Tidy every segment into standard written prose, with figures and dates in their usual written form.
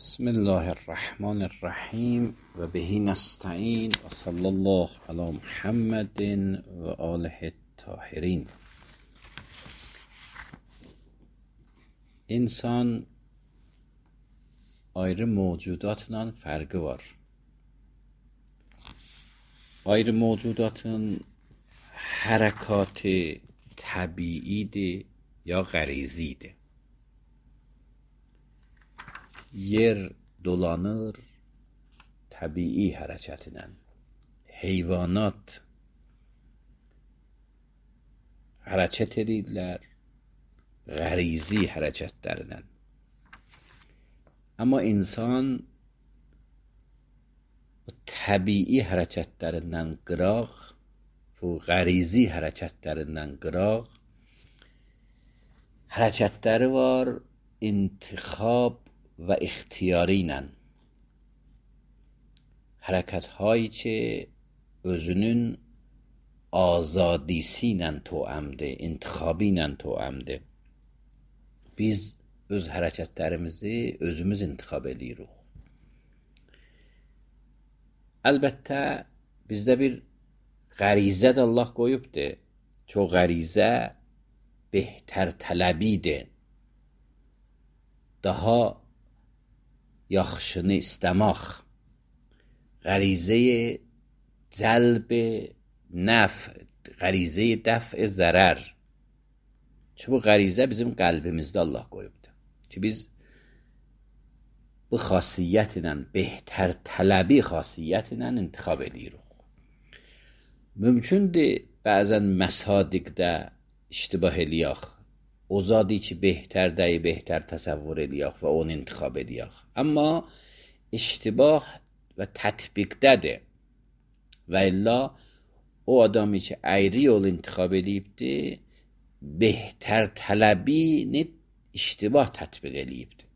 بسم الله الرحمن الرحیم و بهی نستعین و صلی الله علی محمد و آله الطاهرین. İnsan ayrı mevcudatla fərqi var. Ayrı mevcudatın hərəkatı təbiidir ya qərizidir. Yer dolanır təbii hərəkətlə. Heyvanat hərəkət edirlər qərizi hərəkətlərindən. Amma insan təbii hərəkətlərindən qıraq, bu qərizi hərəkətlərindən qıraq hərəkətləri var intixab و اختیاری ilə. Hərəkət hایی ki özünün azadisi ilə toəmdir, intixabı ilə toəmdir. Biz öz hərəkətlərimizi özümüz intixab edirik. Əlbəttə bizdə bir qərizə də Allah qoyubdur. Çox qərizə behter tələbidir. Daha yaxşını istəmək, qərizəyə cəlb nəf, qərizəyə dəf zərər. Ki bu qərizə bizim qəlbimizdə Allah qoyubdur. Ki biz bu xasiyyət ilə, behter tələbi xasiyyət ilə intixab edirik. Mümkündür bəzən məsadiqdə iştibah eləyək. O zadı ki behterdəyi behter təsəvvür eləyək və onu intixab eləyək. Amma iştibah və tətbiqdədir. Və illa o adamı ki əyri yol intixab eləyibdir, behter tələbini iştibah tətbiq eləyibdir.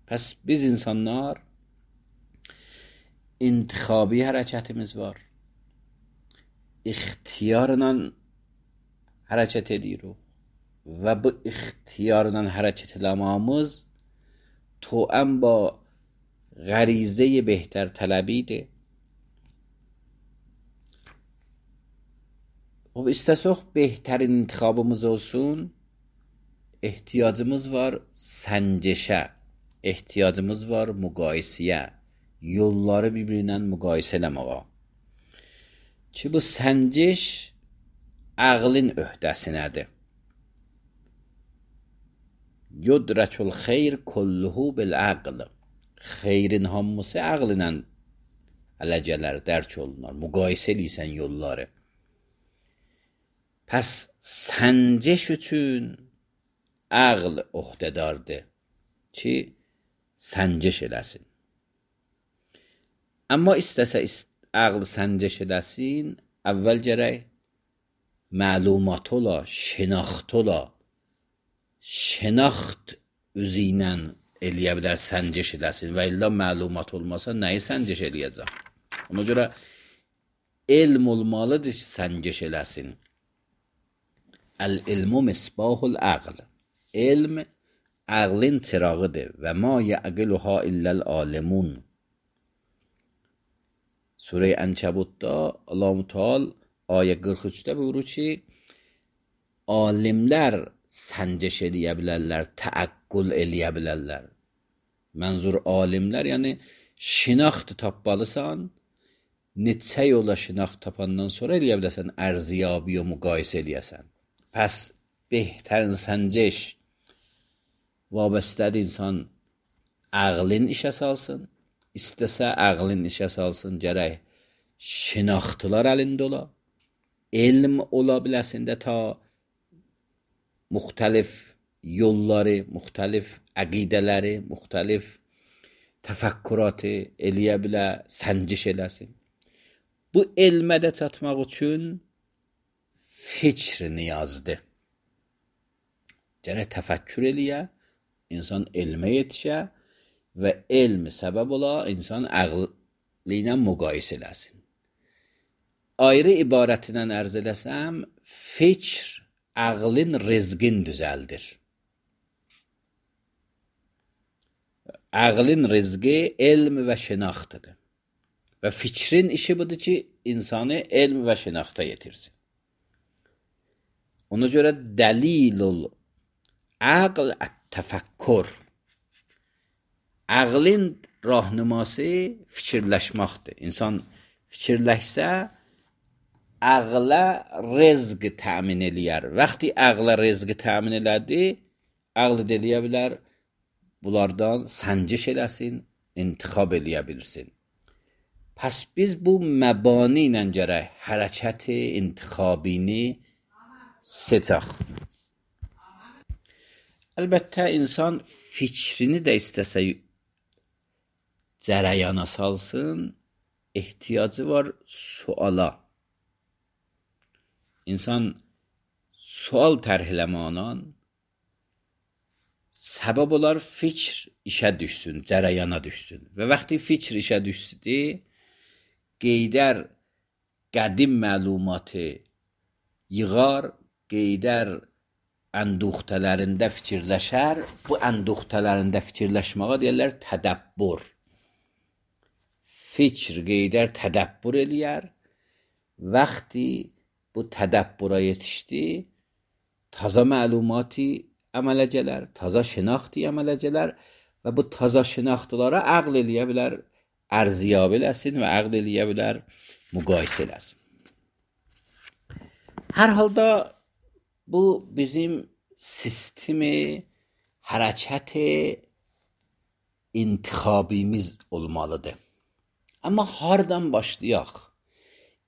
Pəs biz insanlar intixabi hərəkətimiz var. İxtiyarla hərəkət edirik. Və bu ixtiyarla hərəkət eləməyimiz toəm با qərizə behter tələbidir. O istəsək behterin intixabımız olsun, ehtiyacımız var səncəşə, ehtiyacımız var müqayisəyə, yolları bir-birinə müqayisə eləməyə. Ki bu səncəş ağlın öhdəsinədir. Yudrəkül xeyr kulluhu bil aql. Xeyrin hamısı ağlıyla ələcələr, dərk olunur. Müqayisə eləyirsən yolları. Pəs səncəş üçün ağl öhdədardır ki səncəş eləsin. Amma istəsə ağl səncəş eləsin, əvvəl gərək məlumat ola, şinaxt ola. Şinaxt üzü ilə eləyə bilər səncəş eləsin və illa məlumat olmasa nəyi səncəş eləyəcək? Ona görə elm olmalıdır ki səncəş eləsin. Əl-ilmu misbahul aql. Elm ağlın çırağıdır və ma yəqiluha illəl alimun. Surə-i Ənkəbutda Allah-u Teala ayə 43-də buyurur ki alimlər səncəş eləyə bilərlər, təəqqül eləyə bilərlər. Mənzur alimlər, yəni şinaxt tapmalısan, neçə yola şinaxt tapandan sonra eləyə bilərsən, ərziyabi və müqayisə eləyəsən. Pəs behtərin səncəş vabəstədir insan ağlın işə salsın, istəsə ağlın işə salsın, gərək şinaxtılar əlində ola, elm ola biləsində ta müxtəlif yolları, müxtəlif əqidələri, müxtəlif təfəkküratı eləyə bilə, səncəş eləsin. Bu elmədə çatmaq üçün fikr niyazdır. Gərək təfəkkür eləyə, insan elmə yetişə və elm səbəb ola, insan ağlı ilə müqayisə eləsin. Ayrı ibarətindən ərz eləsəm, fikr ağlın rizqin düzəldir. Ağlın rızqı elm və şinaxtıdır. Və fikrin işi budur ki, insanı elm və şinaxta yetirsin. Ona görə dəlilul aql ət-təfəkkür. Ağlın rahnuması fikirləşməkdir. İnsan fikirləşsə, ağla rızq təmin eləyər. Vaxtı ağla rızq təmin elədi, ağlı eləyə bilər, bunlardan sənciş eləsin, intixab eləyə bilsin. Pəs biz bu məbani ilə gərək hərəkəti intixabini seçək. Əlbəttə, insan fikrini də istəsə cərəyana salsın, ehtiyacı var suala. İnsan sual tərh eləmənan səbəb olar fikr işə düşsün, cərəyana düşsün. Və vaxtı fikr işə düşsün, qeydər qədim məlumatı yığar, qeydər ənduxtələrində fikirləşər. Bu ənduxtələrində fikirləşməyə deyirlər tədəbbür. Fikr qeydər tədəbbür eləyər. Vaxtı bu tədəbbüra yetişdi, taza məlumatı əmələ gələr, taza şinaxtı əmələ gələr və bu taza şinaxtılara əql eləyə bilər, ərziyab eləsin və əql eləyə bilər, müqayisə eləsin. Hər halda bu bizim sistemi hərəkət intixabimiz olmalıdır. Amma hardan başlayaq?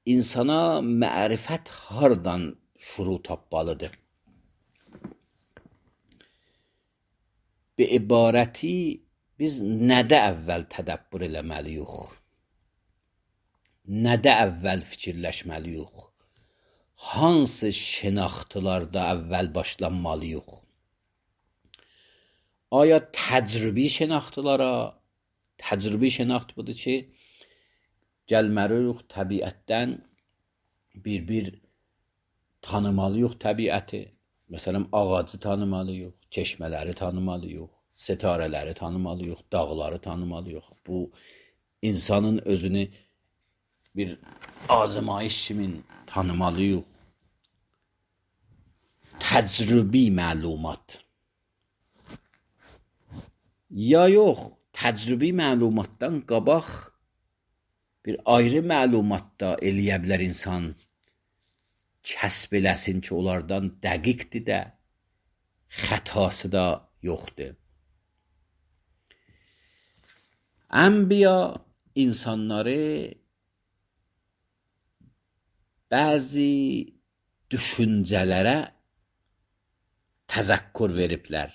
İnsana mərifət hardan şuru tapmalıdır? Bir ibarəti biz nədə əvvəl tədəbbür eləməliyik? Nədə əvvəl fikirləşməliyik? Hansı şinaxtılarda əvvəl başlanmalıyıq? Aya təcrübi şinaxtılara, təcrübi şinaxt budur ki, gəlməliyik təbiətdən bir tanımalıyıq təbiəti. Məsələn, ağacı tanımalıyıq, çeşmələri tanımalıyıq, setarələri tanımalıyıq, dağları tanımalıyıq. Bu, insanın özünü bir azmayış kimi tanımalıyıq. Təcrübi məlumat. Ya yox, təcrübi məlumatdan qabaq bir ayrı məlumat da eləyə bilər insan. Kəsb eləsin ki, onlardan dəqiqdir də, xətası da yoxdur. Ənbiya insanları bəzi düşüncələrə təzəkkür veriblər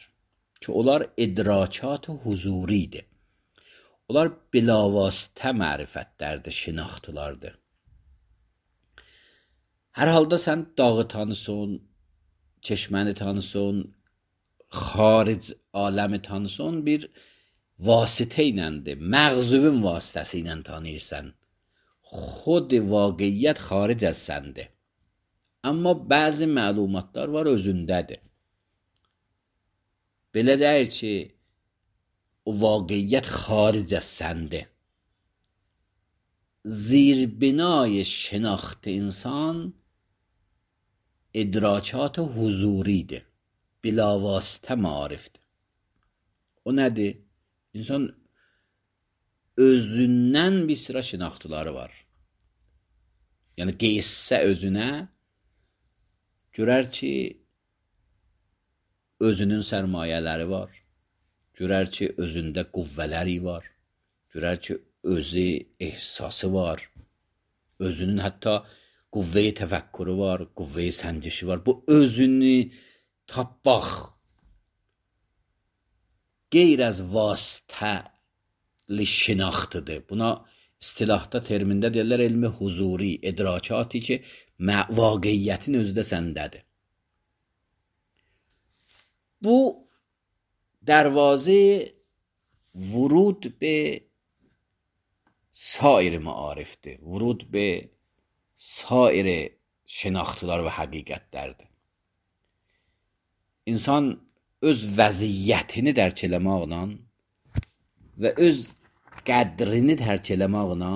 ki, onlar idrakat-ı huzuridir. Onlar bilavasitə mərifətlərdir, şinaxtılardır. Hər halda sən dağı tanısın, çeşməni tanısın, xaric aləmi tanısın, bir vasitə iləndir, məğzuvun vasitəsi ilə tanıyırsan. Xod vaqiyyət xaric az səndir. Amma bəzi məlumatlar var özündədir. Belə deyir ki, o vaqiyyət xaric az səndir. Zirbinای şناخت insan idrakat huzuridir. Bilavasitə marifdir. O nədir? İnsan özündən bir sıra şinaxtıları var. Yəni qeyssə özünə görər ki, özünün sərmayələri var. Görər ki, özündə qüvvələri var. Görər ki, özü ehsası var. Özünün hətta qüvvəyi təfəkkürü var, qüvvəyi səncişi var. Bu özünü tapmaq qeyr az vasitəli şinaxtıdır. Buna istilahda termində deyirlər elmi huzuri, idrakatı ki, vaqiyyətin özü də səndədir. Bu دروازه ورود به سایر معارفته، ورود به سایر شناختlar və həqiqətlərdir. İnsan öz vəziyyətini dərk eləməklə və öz qədrini tərk eləməklə,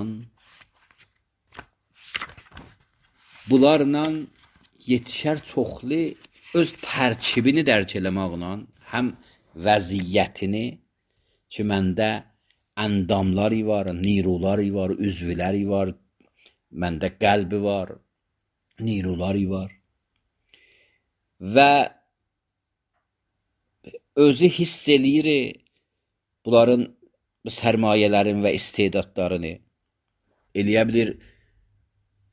bunlarla yetişər çoxlu öz tərkibini dərk eləməklə, həm vəziyyətini ki, məndə əndamları var, niruları var, üzvləri var, məndə qəlbi var, niruları var və özü hiss eləyir bunların sərmayələrin və istedadlarını, eləyə bilir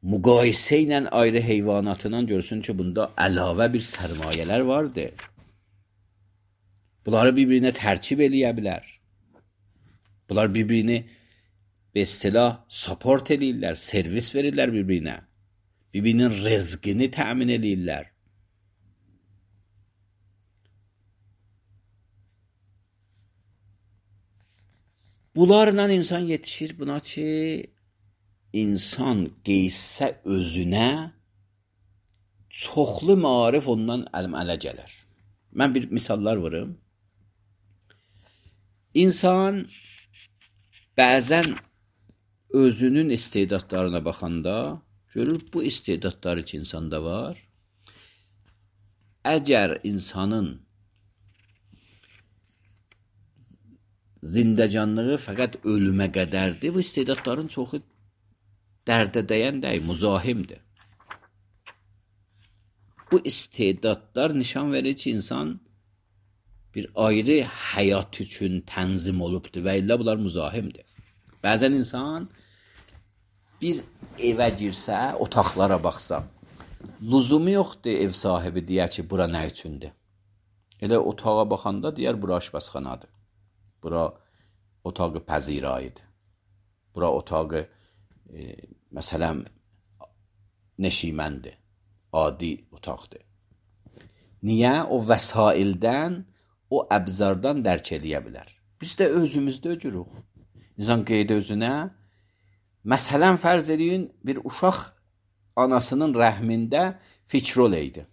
müqayisə ilə ayrı heyvanatından görsün ki, bunda əlavə bir sərmayələr vardır. Bunları bir-birinə tərkib eləyə bilər. Bunlar bir-birini be istilah support eləyirlər, servis verirlər bir-birinə. Bir-birinin rızqını təmin eləyirlər. Bunlarla insan yetişir buna ki, insan qeysə özünə çoxlu maarif ondan ələ gələr. Mən bir misallar vurum. İnsan bəzən özünün istedadlarına baxanda görür bu istedadları ki, insanda var. Əgər insanın zindəcanlığı fəqət ölümə qədərdir, bu istedadların çoxu dərdə dəyən deyil, müzahimdir. Bu istedadlar nişan verir ki, insan bir ayrı həyat üçün tənzim olubdur və illə bunlar müzahimdir. Bəzən insan bir evə girsə, otaqlara baxsa, lüzumu yoxdur ev sahibi deyə ki, bura nə üçündür? Elə otağa baxanda deyər, bura aşpazxanadır. Bura otağı pəzirayıdır. Bura otağı məsələn neşiməndir. Adi otaqdır. Niyə? O vəsaildən, o əbzardan dərk eləyə bilər. Biz də özümüzdə öcürük. İnsan qeyd özünə, məsələn fərz edin, bir uşaq anasının rəhmində fikrol eydi.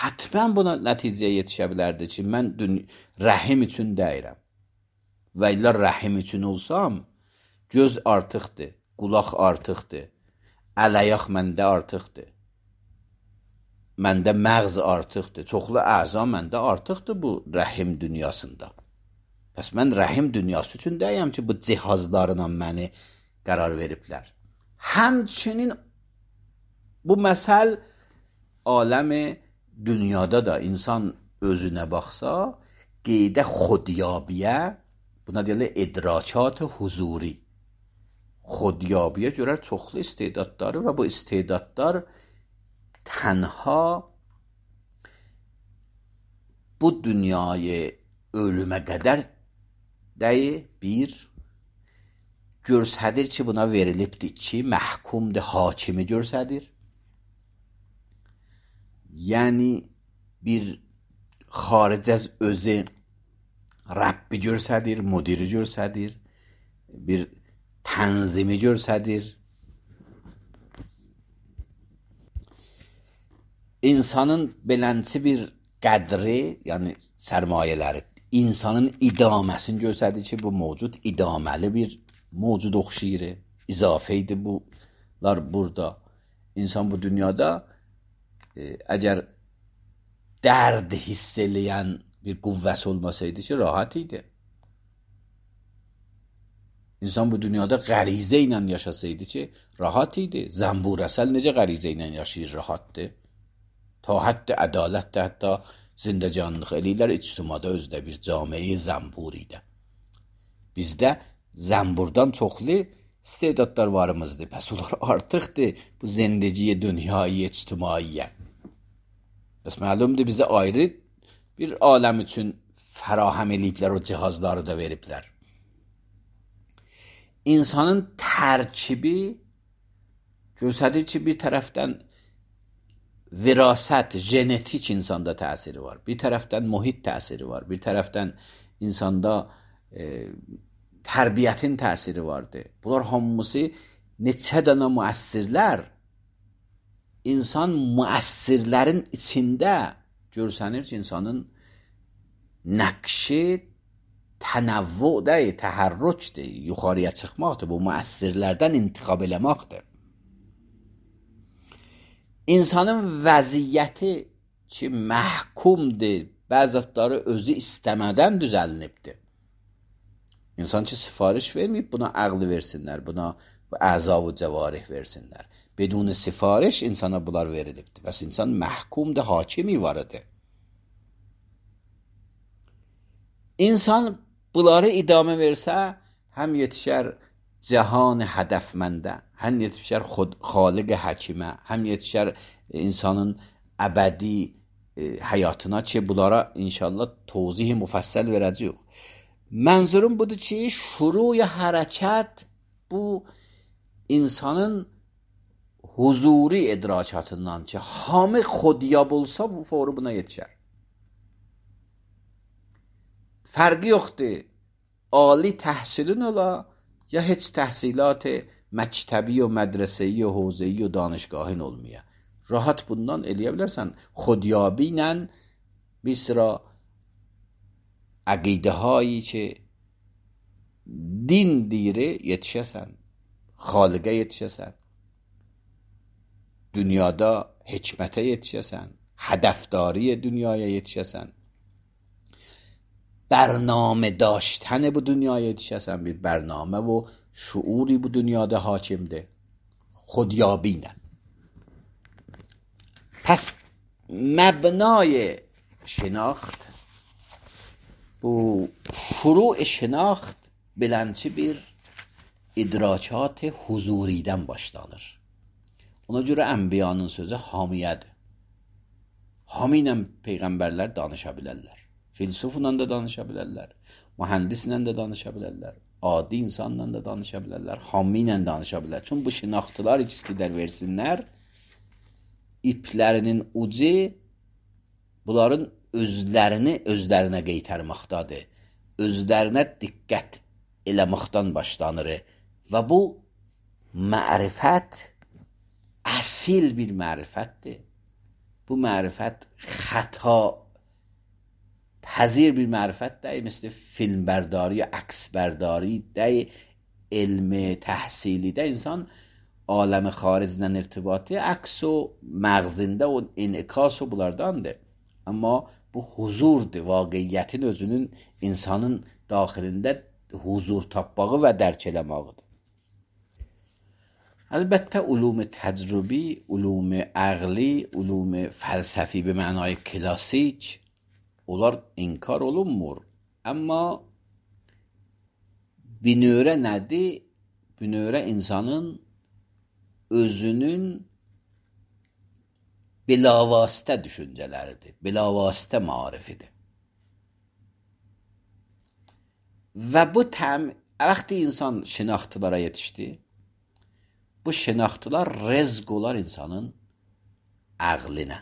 Hətmən buna nəticəyə yetişə bilərdi ki, mən rəhim üçün deyirəm. Və illə rəhim üçün olsam, göz artıqdır, qulaq artıqdır, əl-ayaq məndə artıqdır, məndə məğz artıqdır, çoxlu əza məndə artıqdır bu rəhim dünyasında. Bəs mən rəhim dünyası üçün deyəm ki, bu cihazlarla məni qərar veriblər. Həmçinin bu məsəl aləmi dünyada da insan özünə baxsa, qeydə xodiyabiyə, buna deyirlər idrakat huzuri. Xodiyabiyə görər çoxlu istedadları və bu istedadlar tənha bu dünyayı ölümə qədər dəyi bir görsədir ki, buna verilibdir ki, məhkumdur, hakimi görsədir. Yəni bir xaric az özü Rəbbi görsədir, müdiri görsədir, bir tənzimi görsədir. İnsanın belənçi bir qədri, yəni sərmayələri, insanın idaməsini görsədir ki, bu mövcud idaməli bir mövcud oxşayır, izafə idi bunlar burada. İnsan bu dünyada əgər dərd hiss eləyən bir qüvvəsi olmasaydı ki, rahat idi. İnsan bu dünyada qərizə ilə yaşasaydı ki, rahat idi. Zəmburəsəl necə qərizə ilə yaşayır, rahatdır. Ta hətta ədalətdə, hətta zindəcanlıq eləyirlər, ictimada özdə bir camiə zəmbur idi. Bizdə zəmburdan çoxlu istedadlar varımızdır. Pəs onlar artıqdır bu zindəciyə, dünyayı, ictimaiyə. Bəs məlumdur bizə ayrı bir aləm üçün fərahəm eləyiblər, o cihazları da veriblər. İnsanın tərkibi göstərir ki, bir tərəfdən virasət, genetik insanda təsiri var. Bir tərəfdən mühit təsiri var. Bir tərəfdən insanda tərbiyyətin təsiri vardır. Bunlar hamısı neçə dənə müəssirlər, insan müəssirlərin içində görsənir ki, insanın nəqşi Tənəvvü deyil, təhərrücdür, yuxarıya çıxmaqdır. Bu müəssirlərdən intiqab eləməkdir. İnsanın vəziyyəti ki, məhkumdur, bəzətləri özü istəmədən düzəlnibdir. İnsan ki, sifariş verməyib, buna əqli versinlər, buna əza-u cəvarih versinlər. Bedun sifariş insana bunlar verilibdir. Bəs insan məhkumdur, hakimi varıdır. İnsan bunları idamə versə, həm yetişər cihan hədəfməndə, həm yetişər xaliq həkimə, həm yetişər insanın əbədi həyatına ki, bunlara inşallah tozih müfəssəl verəcəyik. Mənzurum budur ki, şuruy hərəkət bu insanın huzuri idrakatından ki, hamı xodiyab olsa bu fawri buna yetişər. Fərqi yoxdur. Ali təhsilin ola ya heç təhsilat məktəbi və mədrəsəyi və hövzəyi və danışgahın olmaya. Rahat bundan eləyə bilərsən. Xodiyabi ilə bir sıra əqidə hایی ki din deyiri yetişəsən, xaliqə yetişəsən, dünyada hikmətə yetişəsən, hədəfdari dünyaya yetişəsən, برنامه داشتن bu dünyaya yetişəsən, bir برنامه و şuuri bu dünyada hakimdir. خودیابینه. پس مبنای شناخت bu şuru şناخت beləncə bir idrakat huzuridən başlanır. Ona görə ənbiyanın sözü hamiyədir. Hami ilə peyğəmbərlər danışa bilərlər. Filsufla da danışa bilərlər. Mühəndislə də danışa bilərlər. Adi insanla da danışa bilərlər. Hami ilə danışa bilərlər. Çünki bu şinaxtılar ikisidir versinlər. İplərinin ucu bunların özlərinə qeytərməkdadır. Özlərinə diqqət eləməkdən başlanır. Və bu mərifət əsil bir mərifətdir. Bu mərifət xəta پذیر bir mərifət deyil, مثل filmbərdari یا əksbərdari deyil, elm təhsili də insan aləm xaricdən irtibatı əks o məğzində o in'ikas o bunlardandır. Amma bu huzurdur, vaqiyyətin özünün insanın daxilində huzur tapmağı və dərk eləməğidir. Əlbəttə ulum təcrübi, ulum əqli, ulum fəlsəfi bir mənay klasik onlar inkar olunmur. Amma binövrə nədir? Binövrə insanın özünün bilavasitə düşüncələridir. Bilavasitə marifidir. Və bu vaxtı insan şinaxtılara yetişdi. Bu şinaxtılar rezq olar insanın əqlinə.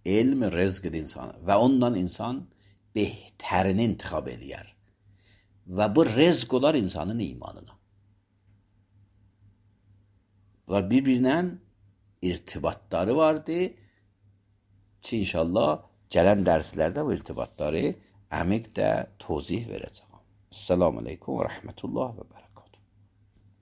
Elm rezqdir insana və ondan insan behtarini intiqab eləyər. Və bu rezq olar insanın imanına. Bunlar bir-birinə irtibatları vardı ki, inşallah gələn dərslərdə bu irtibatları əmiq də tozih verəcəm. Esselamu aleykum və rəhmətullah və bərəkətuhu.